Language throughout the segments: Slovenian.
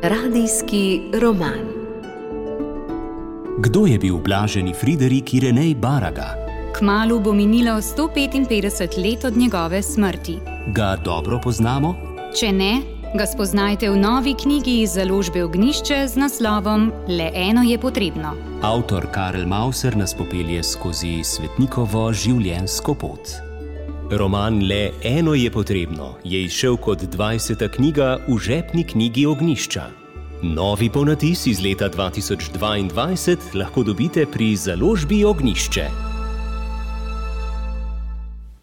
Radijski roman. Kdo je bil blaženi Friderik Irenej Baraga? Kmalu bo minilo 155 let od njegove smrti. Ga dobro poznamo? Če ne, ga spoznajte v novi knjigi iz založbe Ognjišče z naslovom Le eno je potrebno. Avtor Karel Mauser nas popelje skozi svetnikovo življenjsko pot. Roman Le eno je potrebno je izšel kot 20. knjiga v žepni knjigi Ognjišča. Novi ponatis iz leta 2022 lahko dobite pri založbi Ognjišče.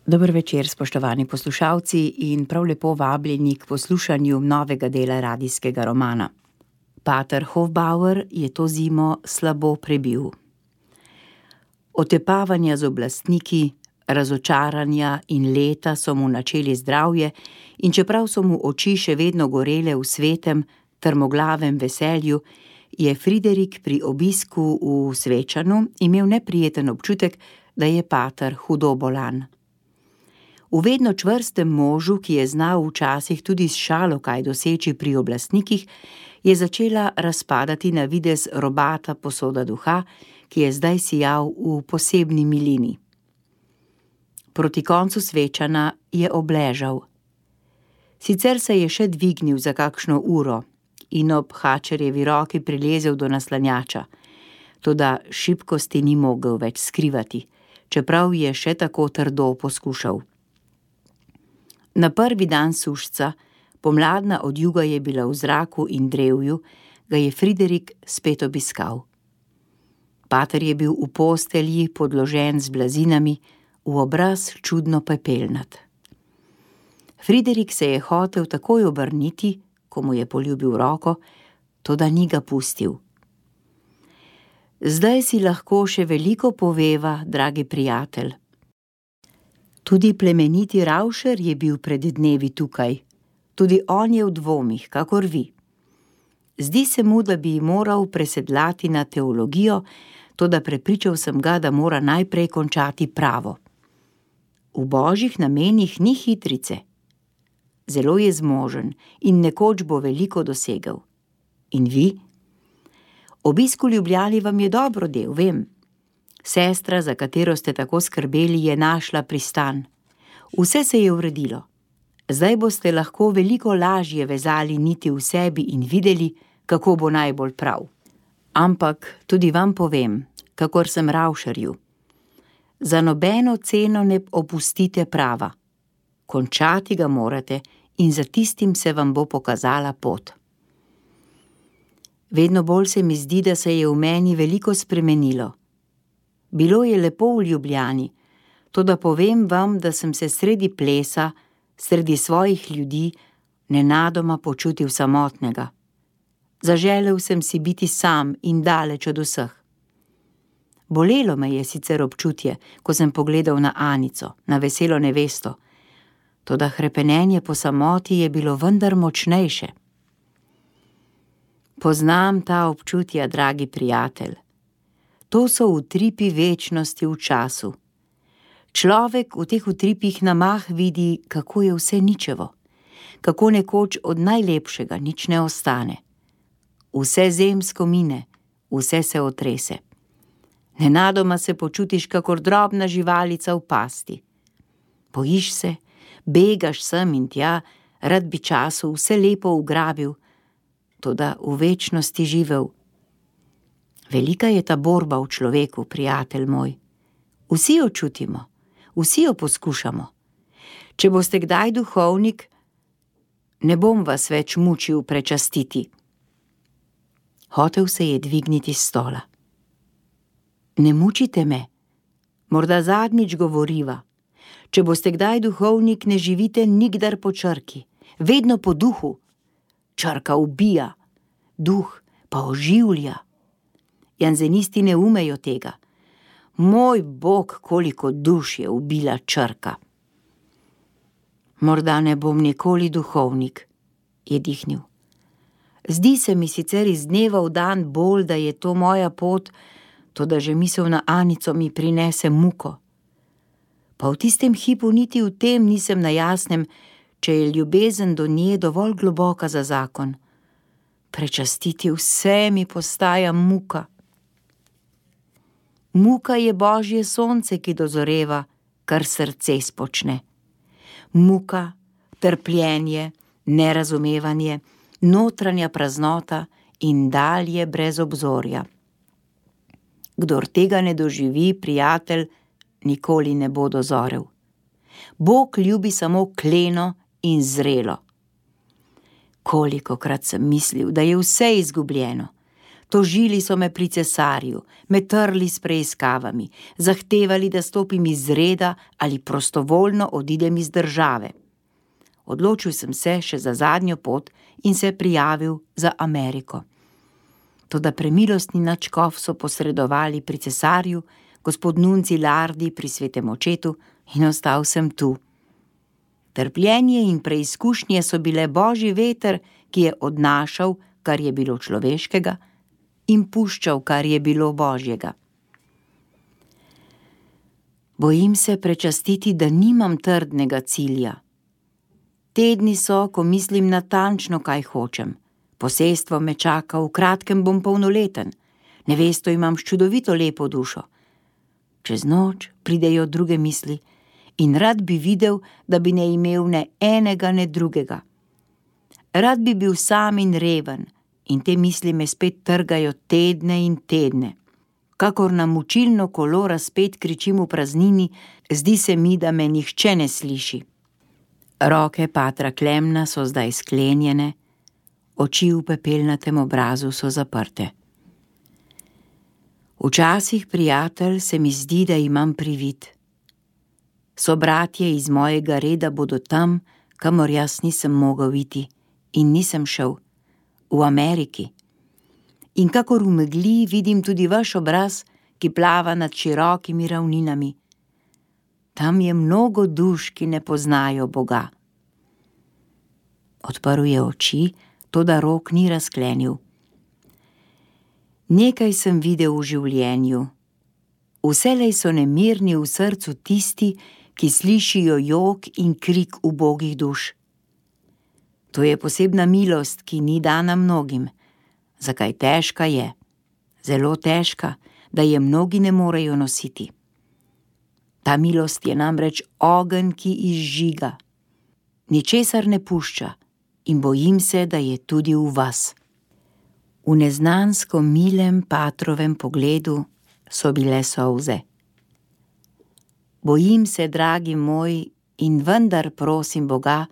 Dober večer, spoštovani poslušalci, in prav lepo vabljeni k poslušanju novega dela radijskega romana. Pater Hofbauer je to zimo slabo prebil. Otepavanja z oblastniki, razočaranja in leta so mu načeli zdravje, in čeprav so mu oči še vedno gorele v svetem, trmoglavem veselju, je Friderik pri obisku v Svečanu imel neprijeten občutek, da je pater hudo bolan. V vedno čvrstem možu, ki je znal včasih tudi s šalo kaj doseči pri oblastnikih, je začela razpadati na videz robata posoda duha, ki je zdaj sijal v posebni milini. Proti koncu Svečana je obležal. Sicer se je še dvignil za kakšno uro in ob Hačerjevi roki prilezel do naslanjača, toda šibkosti ni mogel več skrivati, čeprav je še tako trdo poskušal. Na prvi dan sušca, pomladna odjuga je bila v zraku in drevju, ga je Friderik spet obiskal. Pater je bil v postelji podložen z blazinami, v obraz čudno pepelnat. Friderik se je hotel takoj obrniti, ko mu je poljubil roko, toda ni ga pustil. Zdaj si lahko še veliko poveva, dragi prijatelj. Tudi plemeniti Ravšer je bil pred dnevi tukaj. Tudi on je v dvomih, kakor vi. Zdi se mu, da bi moral presedlati na teologijo, toda prepričal sem ga, da mora najprej končati pravo. V božjih namenih ni hitrice. Zelo je zmožen in nekoč bo veliko dosegel. In vi? Obisk v Ljubljani vam je dobro del, vem. Sestra, za katero ste tako skrbeli, je našla pristan. Vse se je uredilo. Zdaj boste lahko veliko lažje vezali niti v sebi in videli, kako bo najbolj prav. Ampak tudi vam povem, kakor sem Ravšerju. Za nobeno ceno ne opustite prava. Končati ga morate in za tistim se vam bo pokazala pot. Vedno bolj se mi zdi, da se je v meni veliko spremenilo. Bilo je lepo v Ljubljani, toda povem vam, da sem se sredi plesa, sredi svojih ljudi, nenadoma počutil samotnega. Zaželel sem si biti sam in daleč od vseh. Bolelo me je sicer občutje, ko sem pogledal na Anico, na veselo nevesto, toda hrepenenje po samoti je bilo vendar močnejše. Poznam ta občutja, dragi prijatelj. To so utripi večnosti v času. Človek v teh utripih na mah vidi, kako je vse ničevo, kako nekoč od najlepšega nič ne ostane. Vse zemsko mine, vse se otrese. Nenadoma se počutiš kakor drobna živalica v pasti. Bojiš se, begaš sem in tja, rad bi času vse lepo ugrabil, toda v večnosti živel. Velika je ta borba v človeku, prijatelj moj. Vsi jo čutimo, vsi jo poskušamo. Če boste kdaj duhovnik, ne bom vas več mučil prečastiti. Hotel se je dvigniti s stola. Ne mučite me, morda zadnjič govoriva. Če boste kdaj duhovnik, ne živite nikdar po črki, vedno po duhu. Črka ubija, duh pa oživlja. Janzenisti ne umejo tega. Moj Bog, koliko duš je ubila črka. Morda ne bom nikoli duhovnik, je dihnil. Zdi se mi sicer iz dneva v dan bolj, da je to moja pot, toda že misel na Anico mi prinese muko. Pa v tistem hipu niti v tem nisem na jasnem, če je ljubezen do nje dovolj globoka za zakon. prečastiti vse mi postaja muka. Muka je Božje sonce, ki dozoreva, kar srce spočne. Muka, trpljenje, nerazumevanje, notranja praznota in dalje brez obzorja. Kdor tega ne doživi, prijatelj, nikoli ne bo dozorel. Bog ljubi samo kleno in zrelo. Kolikokrat sem mislil, da je vse izgubljeno. Tožili so me pri cesarju, me trli s preiskavami, zahtevali, da stopim iz reda ali prostovoljno odidem iz države. Odločil sem se še za zadnjo pot in se prijavil za Ameriko. Toda premilostni nadškof so posredovali pri cesarju, gospod Nunci Lardi pri svetem očetu in ostal sem tu. Trpljenje in preizkušnje so bile Božji veter, ki je odnašal, kar je bilo človeškega, in puščal, kar je bilo Božjega. Bojim se prečastiti, da nimam trdnega cilja. Tedni so, ko mislim natančno, kaj hočem. Posestvo me čaka, v kratkem bom polnoleten. Nevesto imam s čudovito lepo dušo. Čez noč pridejo druge misli in rad bi videl, da bi ne imel ne enega, ne drugega. Rad bi bil sam in reven in te misli me spet trgajo tedne in tedne. Kakor na mučilno kolo razpet kričim v praznini, zdi se mi, da me nihče ne sliši. Roke patra Klemna so zdaj sklenjene, oči v pepelnatem obrazu so zaprte. Včasih, prijatelj, se mi zdi, da imam privid. Sobratje iz mojega reda bodo tam, kamor jaz nisem mogel iti in nisem šel, v Ameriki. In kakor v megli vidim tudi vaš obraz, ki plava nad širokimi ravninami. Tam je mnogo duš, ki ne poznajo Boga. Odprl je oči, toda rok ni razklenil. Nekaj sem videl v življenju. Vselej so nemirni v srcu tisti, ki slišijo jok in krik ubogih duš. To je posebna milost, ki ni dana mnogim. Zakaj težka je? Zelo težka, da je mnogi ne morejo nositi. Ta milost je namreč ogenj, ki izžiga. Ničesar ne pušča in bojim se, da je tudi v vas. V neznansko milem patrovem pogledu so bile solze. Bojim se, dragi moj, in vendar prosim Boga,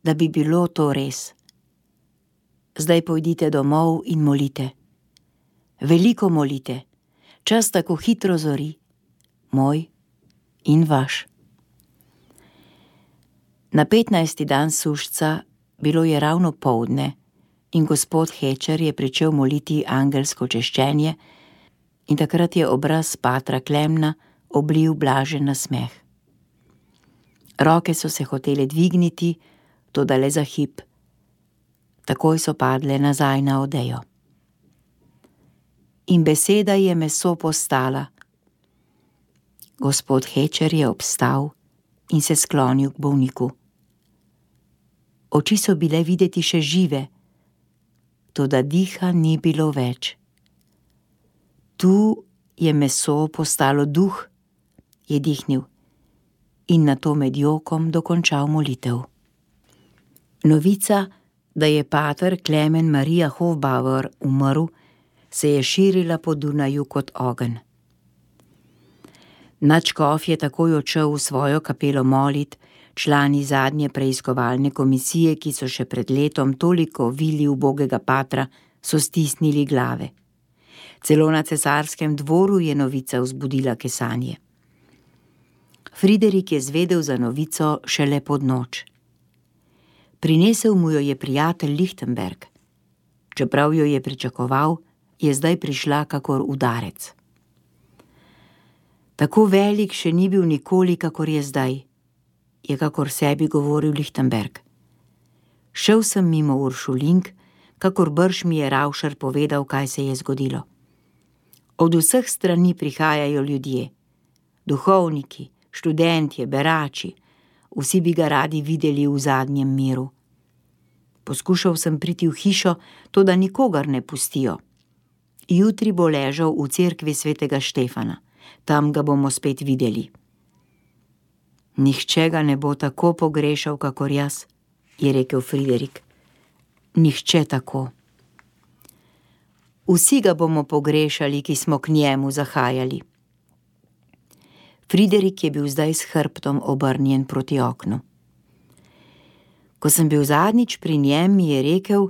da bi bilo to res. Zdaj pojdite domov in molite. Veliko molite, čas tako hitro zori, moj in vaš. Na 15. dan sušca, bilo je ravno poldne, in gospod Hečer je pričel moliti angelsko češčenje in takrat je obraz patra Klemna oblil blažen nasmeh. Roke so se hotele dvigniti, toda le za hip. Takoj so padle nazaj na odejo. In beseda je meso postala. Gospod Hečer je obstal in se sklonil k bolniku. Oči so bile videti še žive, toda diha ni bilo več. Tu je meso postalo duh, je dihnil in nato med jokom dokončal molitev. Novica, da je pater Klemen Maria Hofbauer umrl, se je širila po Dunaju kot ogenj. Nadškof je takoj odšel v svojo kapelo molit, člani zadnje preiskovalne komisije, ki so še pred letom toliko vili ubogega patra, so stisnili glave. Celo na cesarskem dvoru je novica vzbudila kesanje. Friderik je zvedel za novico šele pod noč. Prinesel mu jo je prijatelj Lichtenberg. Čeprav jo je pričakoval, je zdaj prišla kakor udarec. Tako velik še ni bil nikoli, kakor je zdaj, je kakor sebi govoril Lichtenberg. Šel sem mimo Uršulink, kakor brž mi je Ravšar povedal, kaj se je zgodilo. Od vseh strani prihajajo ljudje, duhovniki, študentje, berači, vsi bi ga radi videli v zadnjem miru. Poskušal sem priti v hišo, toda nikogar ne pustijo. Jutri bo ležal v cerkvi svetega Štefana. Tam ga bomo spet videli. Nihče ga ne bo tako pogrešal, kakor jaz, je rekel Friderik. Nihče tako. Vsi ga bomo pogrešali, ki smo k njemu zahajali. Friderik je bil zdaj s hrbtom obrnjen proti oknu. Ko sem bil zadnjič pri njem, mi je rekel: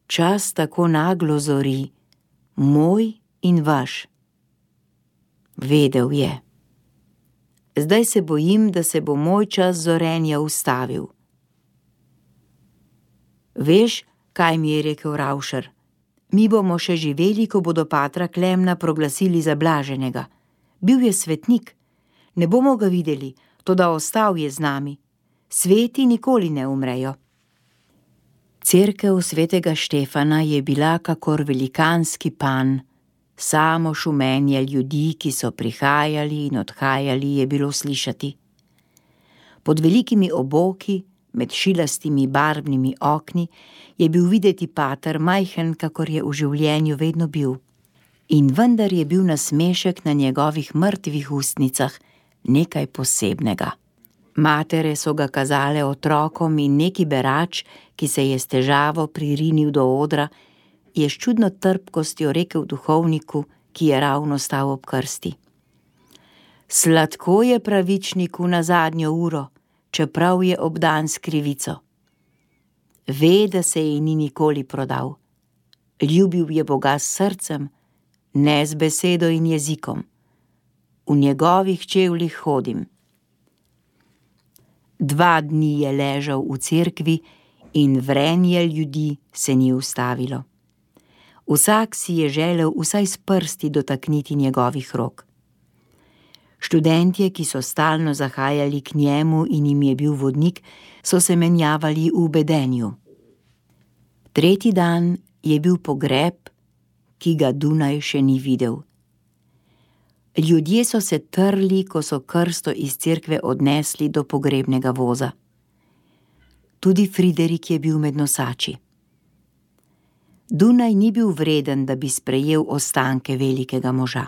čas tako naglo zori, moj in vaš. Vedel je. Zdaj se bojim, da se bo moj čas zorenja ustavil. Veš, kaj mi je rekel Ravšer? Mi bomo še živeli, ko bodo patra Klemna proglasili za blaženega. Bil je svetnik. Ne bomo ga videli, toda ostal je z nami. Sveti nikoli ne umrejo. Cerkev svetega Štefana je bila kakor velikanski panj. Samo šumenje ljudi, ki so prihajali in odhajali, je bilo slišati. Pod velikimi oboki, med šilastimi barvnimi okni, je bil videti pater majhen, kakor je v življenju vedno bil. In vendar je bil nasmešek na njegovih mrtvih ustnicah nekaj posebnega. Matere so ga kazale otrokom in neki berač, ki se je s težavo pririnil do odra, je s čudno trpkostjo rekel duhovniku, ki je ravno stal ob krsti: sladko je pravičniku na zadnjo uro, čeprav je obdan s krivico. Ve, da se ji ni nikoli prodal. Ljubil je Boga s srcem, ne z besedo in jezikom. V njegovih čevljih hodim. 2 dni je ležal v cerkvi in vrenje ljudi se ni ustavilo. Vsak si je želel vsaj s prsti dotakniti njegovih rok. Študentje, ki so stalno zahajali k njemu in jim je bil vodnik, so se menjavali v bedenju. 3. dan je bil pogreb, ki ga Dunaj še ni videl. Ljudje so se trli, ko so krsto iz cerkve odnesli do pogrebnega voza. Tudi Friderik je bil med nosači. Dunaj ni bil vreden, da bi sprejel ostanke velikega moža.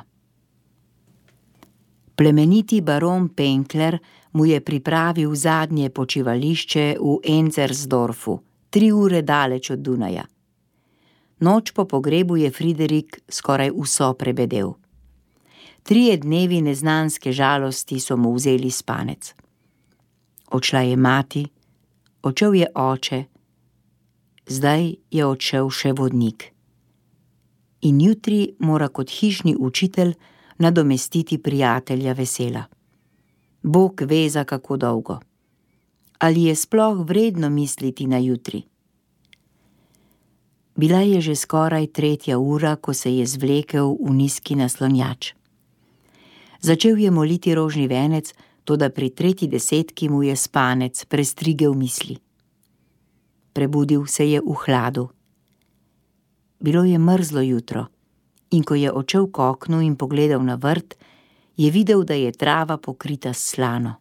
Plemeniti baron Penkler mu je pripravil zadnje počivališče v Enzersdorfu, 3 ure daleč od Dunaja. Noč po pogrebu je Friderik skoraj vso prebedel. 3 dnevi neznanske žalosti so mu vzeli spanec. Odšla je mati, odšel je oče, zdaj je odšel še vodnik. In jutri mora kot hišni učitelj nadomestiti prijatelja vesela. Bog ve, za kako dolgo. Ali je sploh vredno misliti na jutri? Bila je že skoraj 3. ura, ko se je zvlekel v nizki naslonjač. Začel je moliti rožni venec, toda pri 3. desetki mu je spanec prestrigel misli. Prebudil se je v hladu. Bilo je mrzlo jutro in ko je odšel k oknu in pogledal na vrt, je videl, da je trava pokrita s slano.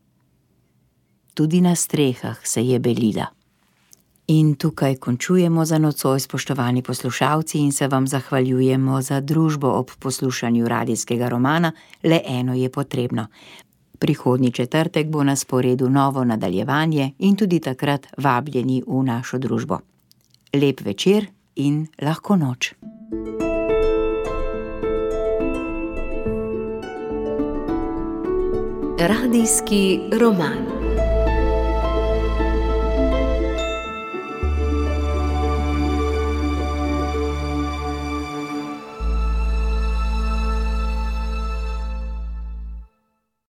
Tudi na strehah se je belila. In tukaj končujemo za nocoj, spoštovani poslušalci, in se vam zahvaljujemo za družbo ob poslušanju radijskega romana Le eno je potrebno. Prihodnji četrtek bo na sporedu novo nadaljevanje in tudi takrat vabljeni v našo družbo. Lep večer in lahko noč. Radijski roman.